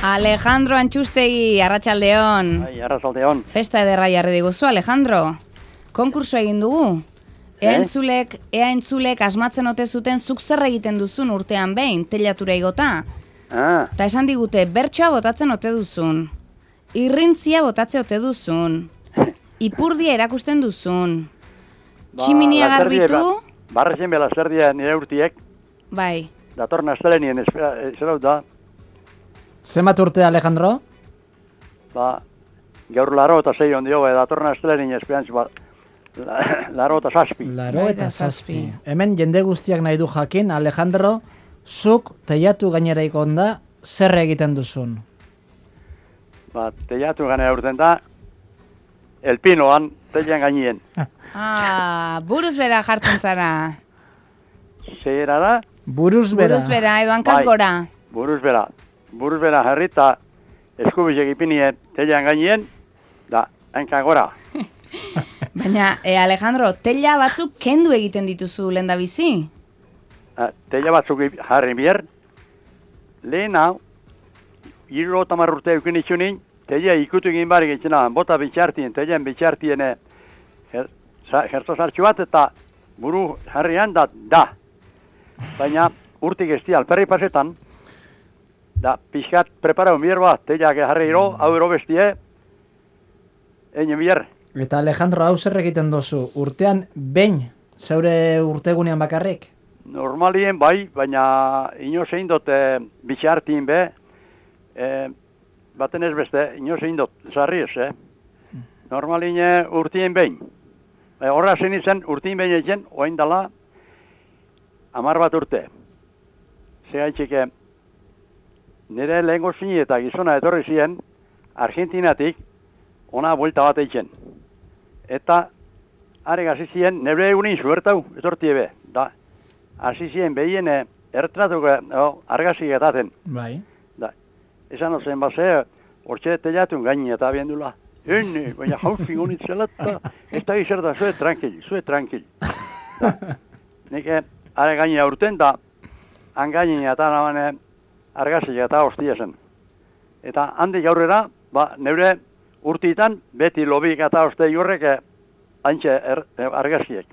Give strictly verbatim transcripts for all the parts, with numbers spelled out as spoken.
Alejandro Antxustegi, arratsaldeon. Bai, arratsaldeon. Festa ederra jarri diguzu, Alejandro. Konkurso egin dugu. Ea entzulek, ea entzulek asmatzen ote zuten zuk zer egiten duzun urtean behin, teilatura igota. Ah. Ta esan digute, bertsoa botatzen ote duzun. Irrintzia botatze ote duzun. Ipurdia erakusten duzun. Ba, Tximinia garbitu. Ba, barrezen bela zerdia nire urtiek. Bai. Dator nastelenien zerau da. Zenbat urte, Alejandro? Ba, gaur laro eta zei ondio, ba, dator nastelenien esperantz, ba, laro eta zazpi. Laro eta zazpi. Hemen jende guztiak nahi du jakin, Alejandro, zuk teiatu gainera ikonda, zer egiten duzun? Ba, teiatu gainera urten da, elpinoan, teian gainien. Ah, buruz bera jartzen zara. Zera da? Buruz bera. Buruz bera, edo hankaz gora. Buruz bera. Buruz bera jarrita, eskubizek ipinien, teian gainien, da, hanka gora. Baina, e, Alejandro, teila batzuk kendu egiten dituzu lenda bizi? Teila batzuk jarri bier, lehen hau, irro tamar urte eukin itxunin, teila ikutu egin barik itxena, bota bitxartien, teilan bitxartien jertzo sartxu bat, eta buru jarrian da, da. Baina, urtik ez di alperri pasetan, da, pixkat preparau bier bat, teila jarri iro, hau ero bestie, egin bier. Eta Alejandro, hau zer egiten duzu, urtean behin, zeure urtegunean bakarrik? Normalien bai, baina ino zein dut e, bitxartien be, e, baten ez beste, ino zein dut, zarri ez, eh? Normalien e, urtien behin. E, horra zen izan, urtien behin egin, oain dala, amar bat urte. Zegaitxike, nire lehengo zini eta gizona etorri ziren, Argentinatik, ona buelta bat eitzen. Eta, are gazi ziren, nebre egunin zuertau, etortie be. Da, hasi ziren behien ertratuko oh, argazik etaten. Bai. Da, esan ozen base, hortxe teiatun gaini eta abiendula. Ene, baina jauzin honitzela eta ez da gizerta, zue tranquil, zue tranquil. Da, nik are gaini aurten da, han gaini eta nabane argazik eta hostia zen. Eta handik aurrera, ba, neure urtitan, beti lobik eta hoste horrek haintxe er, argaziek.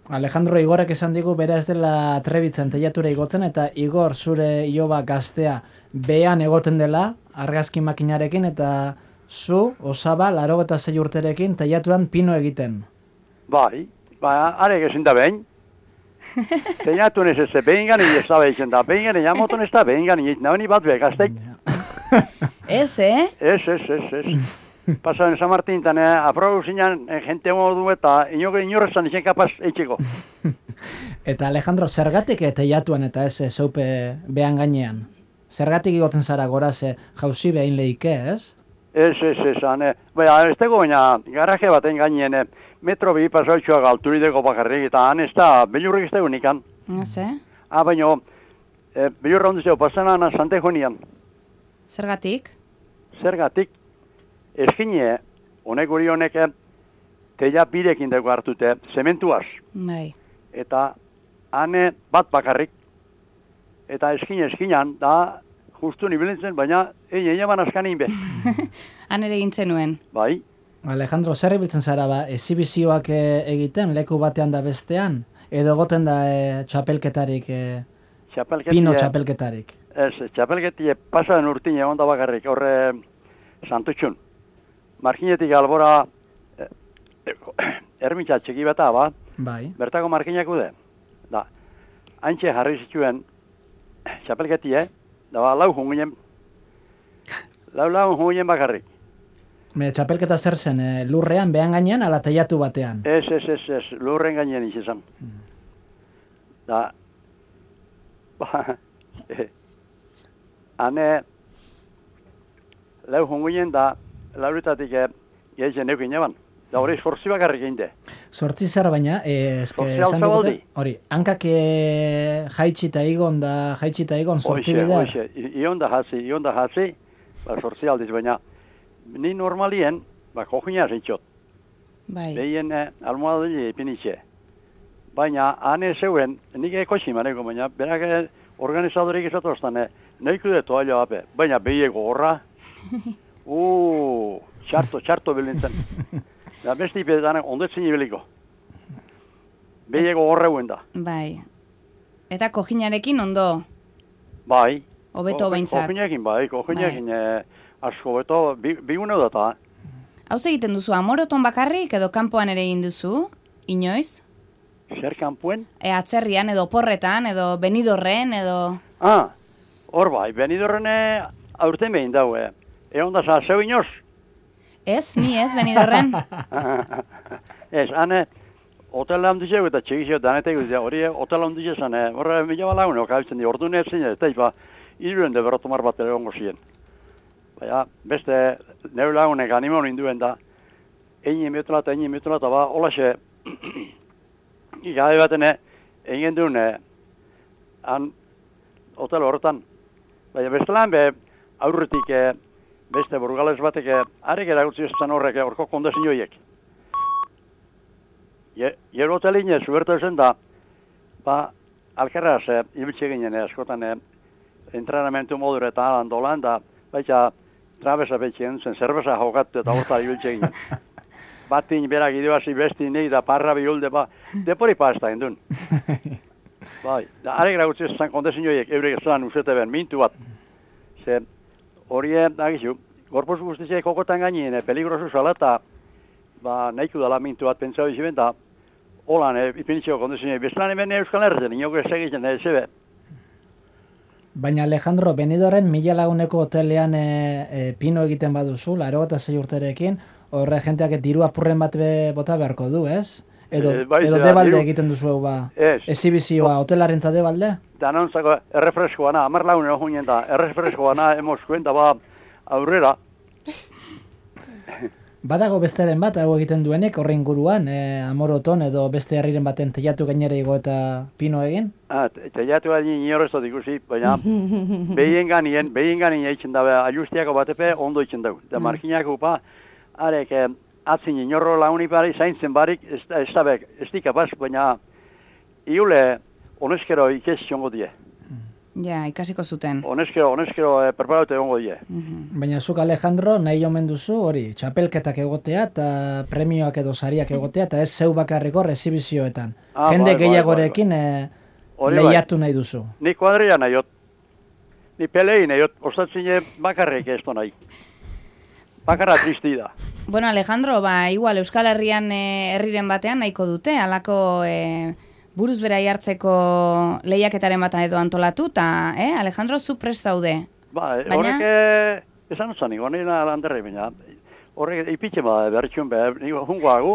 Alejandro, Igorrek esan digu bera ez dela trebitzen teiatura igotzen, eta Igor zure iloba gaztea behan egoten dela argazki makinarekin, eta zu, osaba, laro eta zei urterekin teiatuan pino egiten. Bai, ba, arek ezin da behin. Teiatun ez ez behin gani ez da behin da, behin gani jamoton ez da behin gani, nabeni bat beha gazteik. Ez, eh? Ez, ez, ez, ez. Pasan San Martín, tane, aprobu zinan, jente modu eta inoke inorrezan izan kapaz eitxeko. Eta Alejandro, zergatik teiatuan eta ez zeupe behan gainean? Zergatik igotzen zara gora ze jauzi behin lehike, ez? Ez, ez, ez, ane. Baina, ez tego baina, garaje baten gaineen, metro bi pasoitxoak alturideko bakarrik, eta han ez da, belurrik ez da unikan. Ez, eh? Ah, baina, e, belurra ondizio, pasanan Santejo nian. Zergatik? Zergatik, eskine, honek hori honek, teia birekin dugu hartute, zementuaz. Bai. Eta, hane bat bakarrik, eta eskine eskinan, da, justu nibilintzen, baina, egin egin ban askanin be. Han ere gintzen nuen. Bai. Alejandro, zer ibiltzen zara ba, ezibizioak egiten, leku batean da bestean? Edo goten da e, txapelketarik, e, pino txapelketarik? Ez, txapelketie pasaren urtine egon da bakarrik, horre Santutxun. Markinetik albora e, e, ermitza txiki beta, ba? Bai. Bertako markinak ude. Da, haintxe jarri zituen txapelketie, da ba, lau junginen, lau lau junginen bakarrik. Me txapelketa zer zen, e, lurrean, behan gainean, ala teiatu batean? Ez, ez, ez, ez, lurren gainean izan. Mm. Da, ba, e, hane, lau junginen da, lauritatik gehiatzen eukin eban. Da hori sortzi bakarrik egin de. Sortzi zer baina, e, eske esan dugute, hori, hankak e, jaitxita igon da, jaitxita igon, sortzi bidea? Oixe, oixe, ion da jatzi, ion da jatzi, ba, sortzi aldiz, baina ni normalien, ba, kojina zintxot. Bai. Behien eh, almohadili ipinitxe. Baina, hane zeuen, nik ekoitzi maneko, baina, berak organizadorik izatoztan, eh, nahiko de toalla bape, baina behiego horra, uuu, txarto, txarto bilintzen. Da besti pedanak ondetzen ibiliko. Behiego horreuen da. Bai. Eta kojinarekin ondo? Bai. Hobeto behintzat. Kojinekin bai, kojinekin bai. Asko beto, bigune bi data. Hau egiten duzu, amoroton bakarrik edo kanpoan ere egin duzu? Inoiz? Zer kanpoen? E, atzerrian edo porretan edo benidorren edo... Ah, hor bai, benidorren aurten behin daue. Egon da za, zeu inoz? Ez, ni ez, benidorren. Ez, hane, hotela handizeu eta txegizio danetek dut, hori hotela handizeu zan, horre mila balagun, okabitzen di, ordu netzen, eta ipa, iruen de berotomar bat egongo ziren. Baina, beste, neu lagunek animon induen da, egin metula eta egin metula eta ba, holaxe, gabe baten egin duen, han, hotel horretan. Baina, beste lan be, aurretik, beste burgales batek, arek eragutzi ezan horrek, horko kondezinioiek. Jero hotelin, zubertu zen da, ba, alkerraz, ibiltze ginen, askotan, entrenamentu modure eta alan dolan, da, baita, trabeza betxien zen, zerbeza jokatu eta horta ibiltze ginen. Batin berak idebazi besti nahi da parra bihulde, ba, depori pasta indun. Bai, da, arek eragutzi ezan kondezinioiek, eurek ezan usete ben, mintu bat. Ze, hori, agizu, gorpuz guztiziek kokotan gainin, peligrosu zala eta, ba, nahiko dala mintu bat pentsau iziben, da, holan, ipinitxeko kondezinioik, bezlan hemen Euskal Herrezen, inoko ez egiten, ez zebe. Baina Alejandro, Benidorren mila laguneko hotelean e, e, pino egiten baduzu, laro eta sei urterekin, horre jenteak diru apurren bat be, bota beharko du, ez? Edo, e, bai, edo da, debalde diru... egiten duzu ba, ez. Exhibizioa, hotelarrentza debalde? Danontzako errefreskoa na, amar lagun egon da, errefreskoa na, emoskuen da ba, aurrera. Badago besteren bat, hau egiten duenek, horre inguruan, e, amoroton edo beste herriren baten teiatu gainera igo eta pino egin? Ah, teiatu gainin inorrezot ikusi, baina behien ganien, behien ganien eitzen dabe, ajustiako batepe ondo eitzen dago. Da marginako upa, arek, eh, atzin inorro launi bari, zaintzen barik, ez, ez dabek, ez dikapaz, baina iule, honezkero ikez jongo die. Ja, ikasiko zuten. Honezkero, honezkero eh, preparaute egongo die. Baina zuk Alejandro, nahi omen duzu, hori, txapelketak egotea eta premioak edo sariak egotea, eta ez zeu bakarriko rezibizioetan. Ah, Jende bai, gehiagorekin bai, bai, bai. e, lehiatu nahi duzu. Ni kuadria nahiot. Ni pelei nahiot, ostatzine bakarrik ez nahi. Bakarra tristi da. Bueno, Alejandro, ba, igual Euskal Herrian e, herriren batean nahiko dute, halako e, buruz berai hartzeko lehiaketaren bat edo antolatu, eta, eh, Alejandro, zu prest daude. Ba, Baina... horrek, esan utzan, niko, nina landerri baina, horrek ipitxe ba, berritxun behar, niko, jungoagu.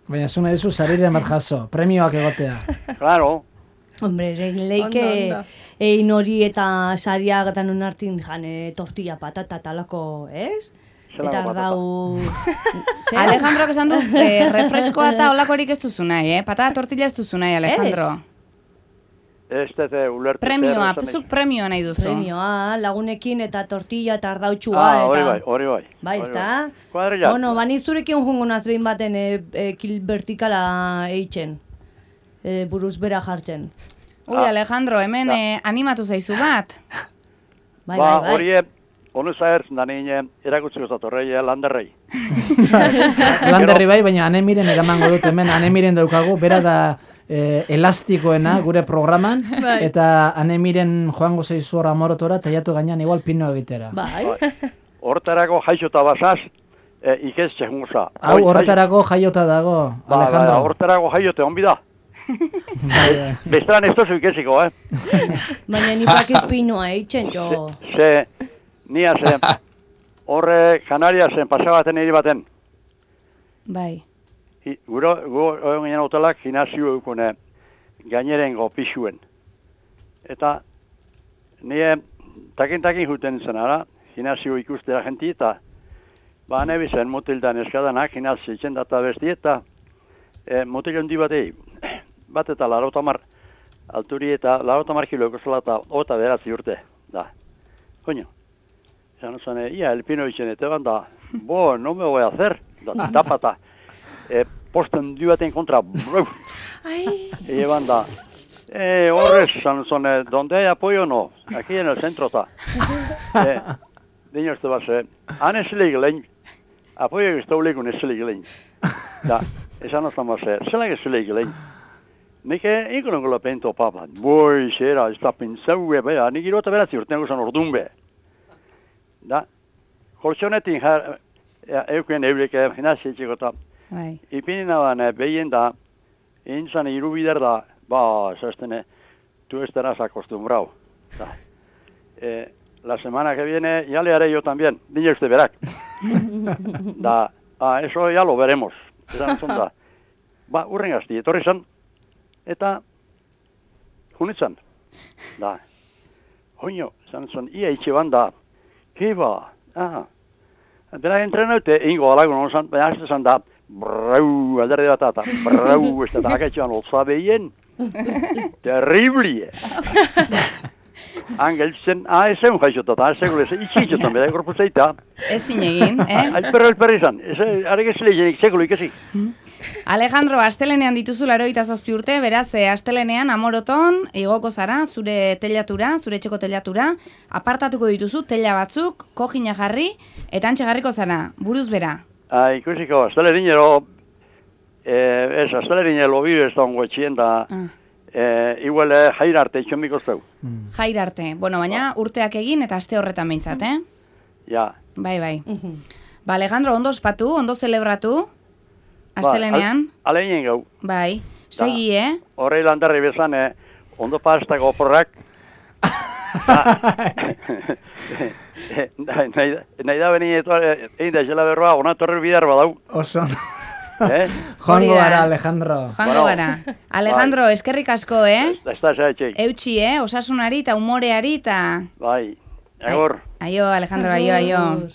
Baina zu nahi duzu sariren bat jaso, premioak egotea. Claro. Hombre, leike egin hori eta sariak eta non hartin jane tortilla patata talako, ez? Eta ardau... Alejandro, esan du, eh, refreskoa eta olakorik ez duzu nahi, eh? Patata tortilla ez duzu nahi, Alejandro. Ez dute ulertu. Premioa, zuk premioa nahi duzu. Premioa, lagunekin eta tortilla eta ardautxua. Ah, hori eta... bai, hori bai. Bai, ez da? Kuadrilla. Bueno, bani zurekin jungo naz behin baten e, e, kil vertikala eitzen. E, buruz bera jartzen. Ui, Alejandro, hemen eh, animatu zaizu bat. Bai, ba, bai, bai. hori, onu zahertzen da nien, erakutziko zatorrei, landerrei. Landerri bai, baina anemiren eramango dut hemen, anemiren daukagu, bera da eh, elastikoena gure programan, Bai. eta anemiren joango zeizu hor amorotora, teiatu gainean igual pino egitera. Bai. Hortarako jaixota basaz, e, ikez txegungoza. Hau, horretarako jaiota dago, Ba, Alejandro. ba, hortarako jaiote honbi da. Bai, bai. Bestean ez tozu ikeziko, eh? Baina ni pakit pinoa eitzen, jo. Ze, nia ze, horre Kanariasen pasabaten hiri baten. Bai. I, guro, guro, ginen hotelak ginazio eukune gainerengo pixuen. Eta, nire takin-takin juten zen ara, ginazio ikustera jenti, eta ba, nebizen mutildan eskadanak, ginazio itzen data besti, eta e, mutil hondi batei, bat eta larotamar alturi eta larotamar kilo ekozela eta ota beratzi urte, da. Coño, ya no zane, ia, el pino itzen, eta da, bo, no me voy a hacer, da, tapata, e, posten du baten kontra, bruf, Ai. eban da, Eh, horrez, san zon, eh, donde hay apoyo no, aquí en el centro está. eh, Diño este base, han esile gilein, apoio giztaulikun esile gilein. Da, esan oztan base, zelan esile gilein. Nik inkonon gola pento papa, boi, xera, ez da pentsaue, bea, nik irota beratzi urtean gozan ordun be. Da, koltsonetin jar, eukuen eurik gimnasia eta Bai. ipini naban behien da, intzan irubider da, ba, zaztene, tú estarás acostumbrado. Da. Eh, la semana que viene ya le haré yo también, niño usted verá. Da, ah, eso ya lo veremos. Esan zon da. Ba, urren gazti, etorri zan, eta junitzan. Da. Joño, esan zon, ia itxe banda, kiba, aha. Bera entrenaute, ingo alagun hon zan, baina azte zan da, brau, alderdi bat eta, brau, ez da akaitxoan olza behien. Terriblie. Angeltzen, ah, ez egun jaixotat, ah, ez egun ez, itxitxotan, bera, gorpu zeita. Ez zinegin, eh? Alperro, alperro izan, ez, arek ez lehenik, sekulo ikasi. Alejandro, astelenean dituzu laroita zazpi urte, beraz, eh, astelenean amoroton, igoko zara, zure telatura, zure etxeko telatura, apartatuko dituzu, tela batzuk, kojina jarri, eta antxe jarriko zara, buruz bera. Ah, ikusiko, astelerinero, eh, ez, astelerinero bibe ez da ongo etxien da, Ah. eh, igual eh, jaira arte itxon biko zeu. Jaira arte, bueno, baina urteak egin eta aste horretan behintzat, eh? Ja. Bai, bai. Ba, Alejandro, ondo ospatu, ondo zelebratu, astelenean. Ba, ale inen gau. Bai, segi, eh? Horrei landarri bezan, eh, ondo pastako oporrak. Nahi da beni egin da xela berroa, ona torre bidar badau. Oso. Eh? Joango Hori da. gara, Alejandro. Joango Bueno. gara. Alejandro, eskerrik asko, eh? Ez da, ez da, Eutxi, eh? Osasunari eta umoreari eta... Bai, agor. Aio, Alejandro, aio, aio. Agur.